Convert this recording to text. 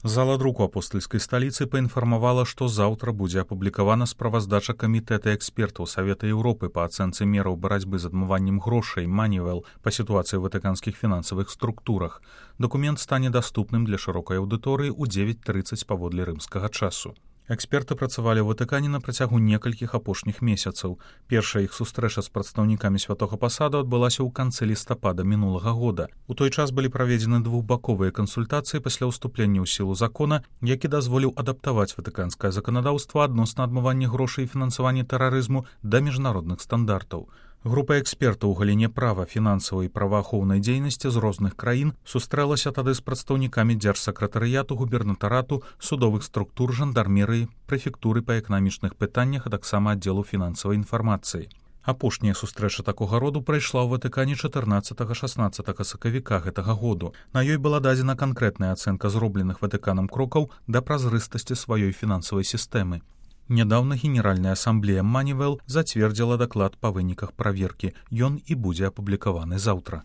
Зала друку апостольскай сталіцы паінфармавала, што заўтра будзе апублікавана справаздача камітэта экспертаў Савета Еўропы па ацэнцы мераў барацьбы з адмываннем грошай Манівел па сітуацыі ў ватыканскіх фінансавых структурах. Дакумент стане даступным для шырокай аўдыторыі ў 9:30 паводле рымскага часу. Эксперты працавалі ў Ватыкане на працягу некалькіх апошніх месяцаў. Першая іх сустрэча з прадстаўнікамі святога пасаду адбылася ў канцы лістапада мінулага года. У той час былі праведзены двухбаковыя кансультацыі пасля ўступлення ў сілу закона, які дазволіў адаптаваць ватыканскае заканадаўства адносна адмывання грошай і фінансавання тэрарызму да міжнародных стандартаў. Група экспертаў у галіне права, фінансавай і праваахоўнай дзейнасці з розных краін сустрэлася тады з прадстаўнікамі дзяржсакратарыяту, губернатарату, судовых структур, жандармерыі, прэфектуры па эканамічных пытаннях, а таксама аддзелу фінансавай інфармацыі. Апошняя сустрэча такога роду прайшла ў Ватыкане 14-16 сакавіка гэтага году. На ёй была дадзена канкрэтная ацэнка зробленых Ватыканам крокаў да празрыстасці сваёй фінансавай сістэмы. Нядаўна Генеральная асамблея Манівел зацвердзіла даклад па выніках праверкі. Ён і будзе апублікаваны заўтра.